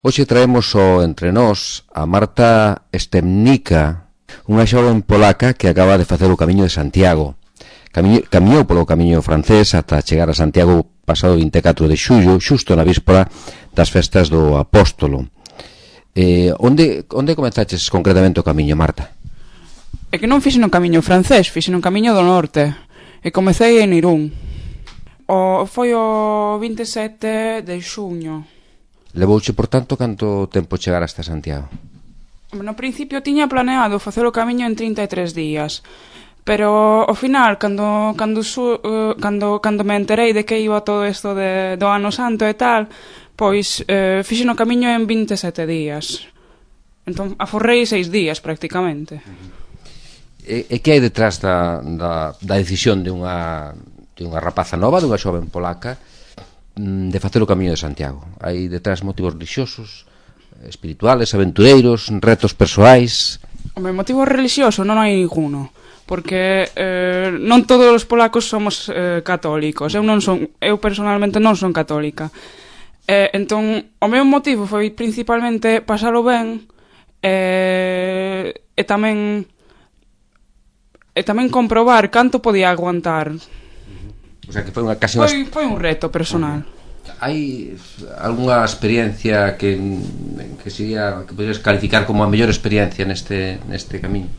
Hoxe traemos entre nós a Marta Stemnica, unha xoven polaca que acaba de facer o Camiño de Santiago. Camiñou polo camiño francés ata chegar a Santiago pasado 24 de xullo, xusto na víspora das festas do Apóstolo. Onde comenzaches concretamente o camiño, Marta? É que non fixe no camiño francés, fixe no camiño do norte. E comecei en Irún. Foi o 27 de xuño. Levouche, por tanto, canto tempo chegar hasta Santiago? No principio tiña planeado facer o camiño en 33 días. Pero ao final, cando me enterei de que iba todo isto do Ano Santo e tal, pois fixe no camiño en 27 días. Entón, aforrei 6 días prácticamente. E que hai detrás da decisión de unha rapaza nova, dunha xoven polaca, de facer o Camiño de Santiago? Hai detrás motivos religiosos, espirituales, aventureiros, retos persoais? Home, motivo religioso non hai ninguno, porque non todos os polacos somos católicos. Eu personalmente non son católica. Entón, o meu motivo foi principalmente pasalo ben e tamén comprobar canto podía aguantar. O sea, que foi un reto personal. Hai algunha experiencia que poderías calificar como a mellor experiencia neste camiño?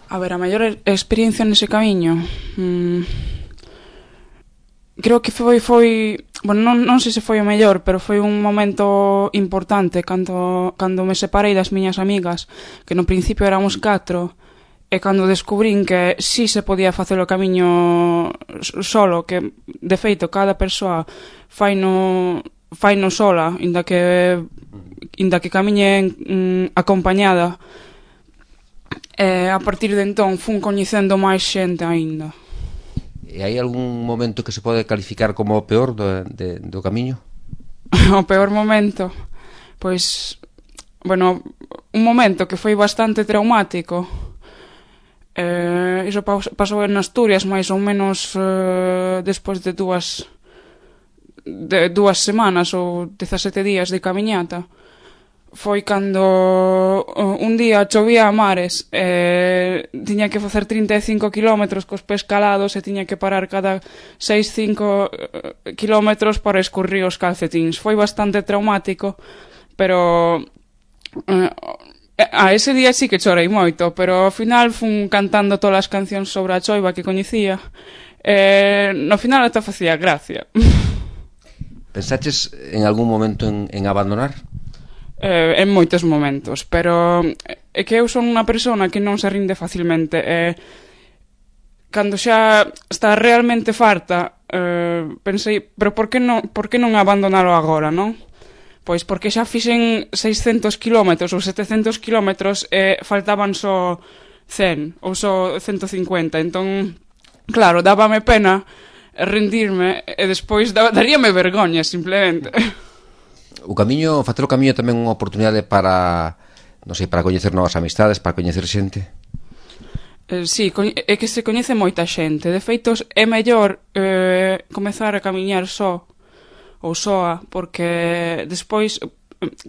A ver, a mellor experiencia nese camiño, creo que foi bueno, non sei se foi o mellor, pero foi un momento importante cando me separei das miñas amigas, que no principio éramos 4. E cando descubrín que si se podía facer o camiño solo, que de feito cada persoa faino sola, inda que camiñe acompañada, a partir de entón fun coñecendo máis xente aínda. E hai algún momento que se pode calificar como o peor do camiño? O peor momento? Pois, bueno, un momento que foi bastante traumático. Iso pasou en Asturias máis ou menos despois de dúas semanas ou 17 días de camiñata. Foi cando un día chovía a mares, tiña que facer 35 kilómetros cos pés calados e tiña que parar cada 6-5 kilómetros para escurrir os calcetíns. Foi bastante traumático, pero ese día sí que chorei moito, pero ao final fun cantando todas as cancións sobre a choiva que coñecía. No final ata facía gracia. Pensaches en algún momento en abandonar? En moitos momentos, pero é que eu son unha persona que non se rinde facilmente. Cando xa está realmente farta, pensei, pero por que non abandonalo agora, non? Pois porque xa fixen 600 kilómetros ou 700 kilómetros e faltaban só 100 ou só 150. Entón, claro, dábame pena rendirme e despois daríame vergoña, simplemente. O camiño, facer o camiño tamén unha oportunidade para, non sei, para coñecer novas amistades, para coñecer xente? Sí, é que se coñece moita xente. De feito, é mellor comezar a camiñar só ou soa, porque despois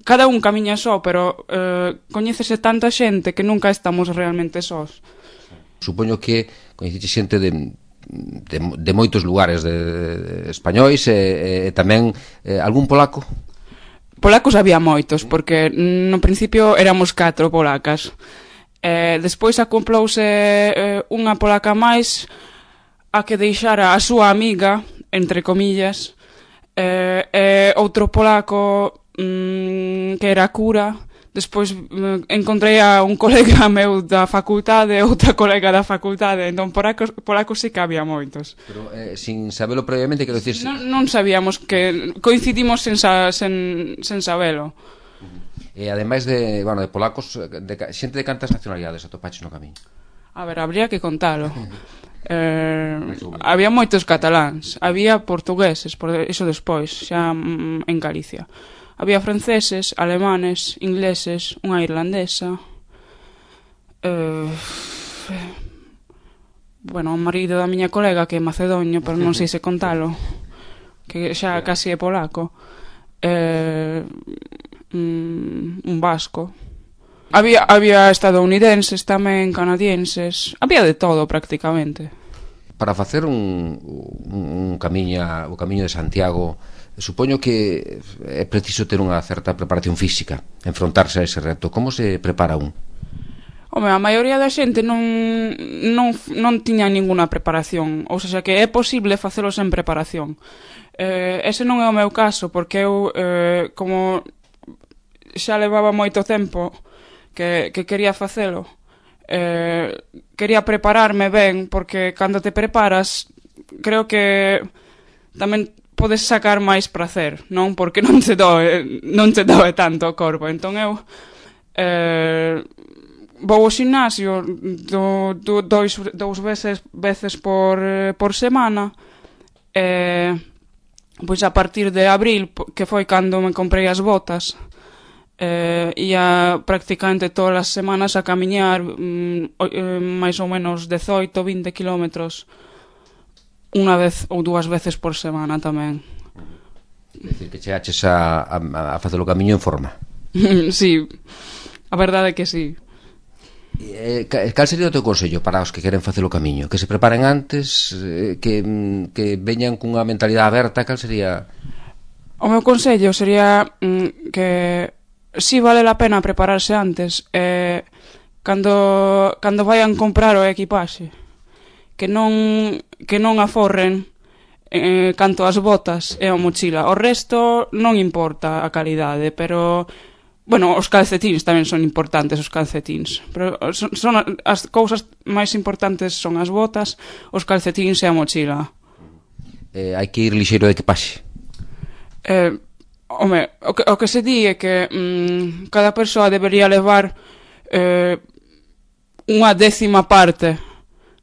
cada un camiña só, pero coñécese tanta xente que nunca estamos realmente sós. Supoño que coñeceche xente de moitos lugares de españois e tamén algún polaco? Polacos había moitos, porque no principio éramos 4 polacas. Despois acomplouse unha polaca máis a que deixara a súa amiga, entre comillas, outro polaco que era cura. Despois encontrei a un colega meu da facultade, outra colega da facultade. Entón polacos sí que había moitos. Pero sin sabelo previamente, quero dicir... Non sabíamos, que coincidimos sen sabelo. E ademais de polacos, xente de cantas nacionalidades atopaches no camiño? A ver, habría que contalo. Había moitos cataláns, había portugueses, por iso despois, xa en Galicia. Había franceses, alemanes, ingleses, unha irlandesa. Bueno, o marido da miña colega, que é macedonio, pero non sei se contalo, que xa casi é polaco. un vasco. Había estadounidenses tamén, canadienses, había de todo prácticamente. Para facer o camiño de Santiago, supoño que é preciso ter unha certa preparación física, enfrontarse a ese reto. Como se prepara un? Home, a maioría da xente non tiña ninguna preparación, ou seja, que é posible facelo sen preparación. Ese non é o meu caso, porque eu, como xa levaba moito tempo que quería facelo, quería prepararme ben, porque cando te preparas, creo que tamén podes sacar máis prazer, non? Porque non te doe tanto o corpo. Entón eu vou ao gimnasio dous veces por semana, pois a partir de abril, que foi cando me comprei as botas, ia prácticamente todas as semanas a camiñar máis ou menos 18-20 kilómetros unha vez ou dúas veces por semana tamén. É dicir, que chegaches a facer o camiño en forma. Sí, a verdade é que sí. Cal sería o teu consello para os que queren facer o camiño? Que se preparen antes, que veñan cunha mentalidade aberta? Cal sería? O meu consello sería que si vale a pena prepararse antes, cando vayan comprar o equipaxe, que non aforren canto as botas e a mochila. O resto non importa a calidade, pero bueno, os calcetins tamén son importantes, os calcetins, pero son as cousas máis importantes son as botas, os calcetins e a mochila. Hai que ir lixeiro de equipaxe? Home, o que se di é que cada persoa debería levar unha 10ª parte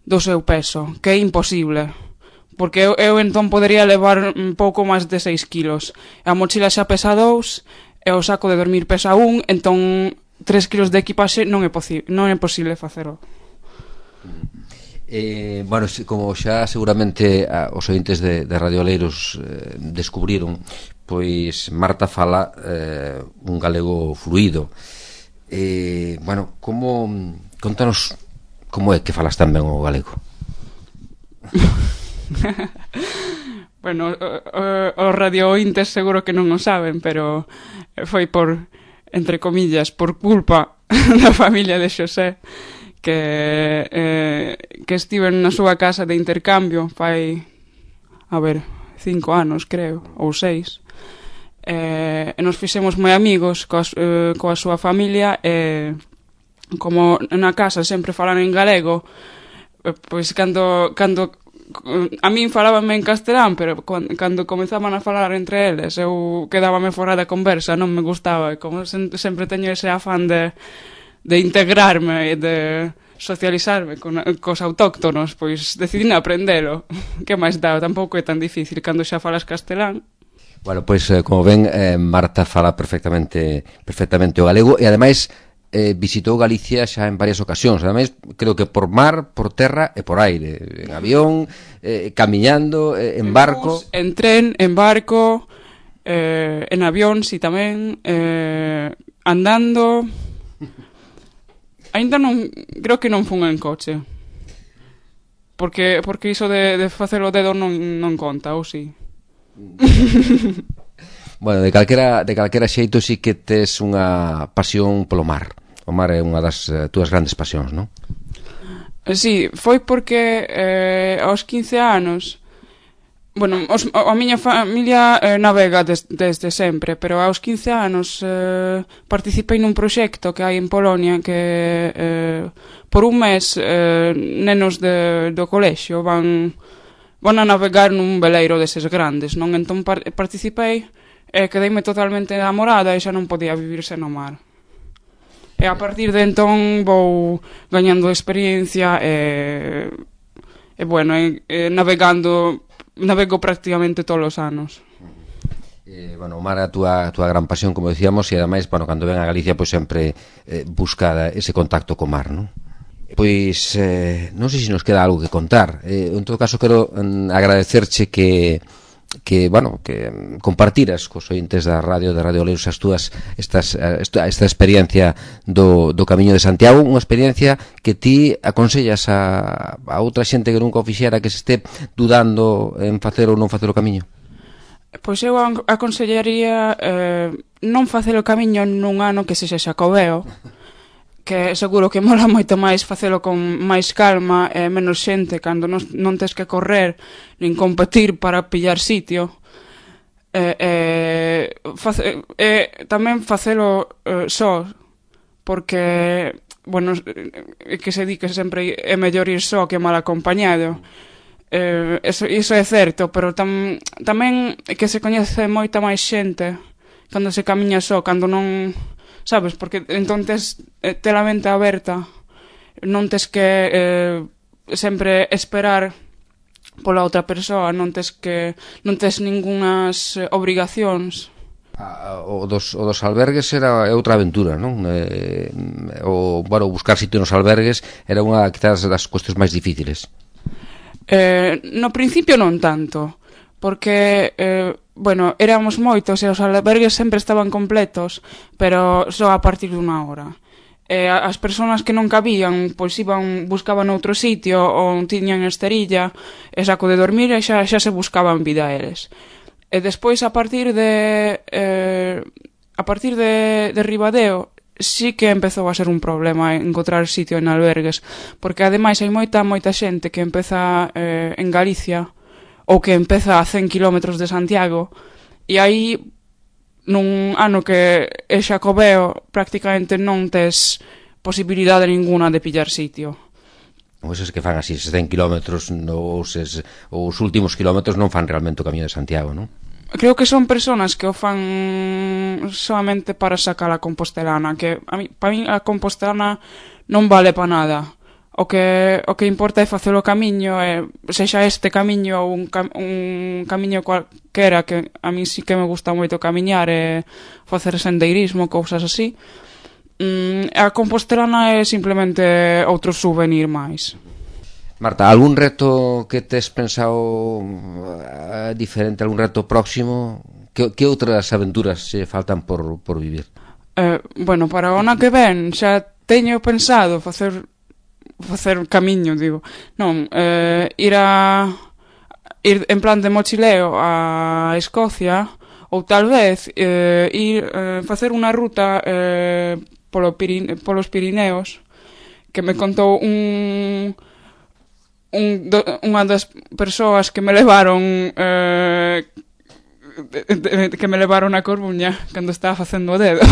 do seu peso, que é imposible, porque eu entón podería levar un pouco máis de 6 kilos, a mochila xa pesa 2 e o saco de dormir pesa 1, entón 3 kilos de equipaxe non é posible facelo. Bueno, como xa seguramente os ointes de Radio Oleiros descubriron, pois Marta fala un galego fluido. Bueno, contanos como é que falas tan ben o galego? Bueno, os radioointes seguro que non o saben, pero foi por, entre comillas, por culpa da familia de Xosé, que estiven na súa casa de intercambio fai, 5 anos, creo, ou 6, e nos fixemos moi amigos coa súa familia, e como na casa sempre falan en galego, pois cando a min falábame en castelán, pero cando comenzaban a falar entre eles eu quedábame fora da conversa, non me gustaba, e como sempre teño ese afán de integrarme e de socializarme cos autóctonos, pois decidín aprendelo. Que máis dá? Tampouco é tan difícil cando xa falas castelán. Bueno, pois como ven, Marta fala perfectamente o galego, e ademais visitou Galicia xa en varias ocasións, ademais creo que por mar, por terra e por aire, en avión, camiñando, en barco, en tren, en barco, en avión, si tamén, andando. Ainda non, creo que non fun en coche, porque iso de facer o dedo non conta, ou si? Bueno, de calquera xeito sí que tes unha pasión polo mar. O mar é unha das túas grandes pasións, non? Sí, foi porque aos 15 anos, bueno, a miña familia navega desde sempre, pero aos 15 anos participei nun proxecto que hai en Polonia que por un mes nenos do colexio van a navegar nun veleiro deses grandes, non? Entón participei e quedeime totalmente enamorada e xa non podía vivir sen o mar. E a partir de entón vou gañando experiencia e bueno, navego prácticamente todos os anos. Bueno, o mar é a túa gran pasión, como decíamos, e ademais, bueno, cando ven a Galicia, pois sempre busca ese contacto co mar, non? Pois non sei se nos queda algo que contar. En todo caso, quero agradecerche que bueno, que compartiras cos ointes da Radio Oleiros esta experiencia do Camiño de Santiago, unha experiencia que ti aconsellas a outra xente que nunca o fixera, que se este dudando en facer ou non facer o camiño. Pois eu aconsellaría non facer o camiño nun ano que sexa xacobeo, que seguro que mola moito máis facelo con máis calma e menos xente cando non tes que correr nin competir para pillar sitio. Tamén facelo só, porque, bueno, que se di que sempre é mellor ir só que mal acompañado. Iso é certo, pero tamén que se coñece moita máis xente cando se camiña só, cando non... Sabes, porque entonces te la mente aberta, non tes que sempre esperar pola outra persoa, non tes ningunhas obrigacións. O dos albergues era outra aventura, non? Bueno, buscar sitio nos albergues era unha, quizás, das cuestións máis difíciles. No principio non tanto, porque, bueno, éramos moitos e os albergues sempre estaban completos, pero só a partir dunha hora. As persoas que non cabían, pois buscaban outro sitio ou tiñan esterilla e saco de dormir e xa se buscaban vida eles. E despois, a partir de Ribadeo, sí que empezou a ser un problema encontrar sitio en albergues, porque ademais hai moita xente que empeza en Galicia ou que empeza a 100 kilómetros de Santiago, e aí, nun ano que é xacobeo, prácticamente non tes posibilidade ninguna de pillar sitio. Pois é que fan así, 100 kilómetros, os últimos kilómetros non fan realmente o Camiño de Santiago, non? Creo que son personas que o fan solamente para sacar a compostelana, que para mí a compostelana non vale para nada. O que importa é facer o camiño, sexa este camiño ou un camiño cualquera, que a mí sí que me gusta moito camiñar e facer sendeirismo, cousas así. A compostelana é simplemente outro souvenir máis. Marta, algún reto que tes pensado diferente, algún reto próximo? Que outras aventuras se faltan por vivir? Bueno, para o ano que ven xa teño pensado facer camiño, digo. Non, ir en plan de mochileo a Escocia, ou tal vez facer unha ruta polos Pirineos, que me contou unha das persoas que me levaron a Coruña cando estaba facendo o dedo,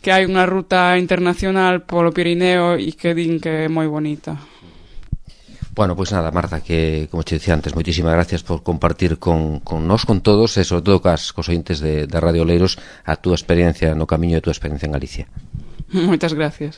que hai unha ruta internacional polo Pirineo e que din que é moi bonita. Bueno, pois nada, Marta, que, como te dicía antes, moitísimas gracias por compartir con nós, con todos, e sobre todo cos ointes de Radio Oleiros, a túa experiencia no camiño e a túa experiencia en Galicia. Moitas gracias.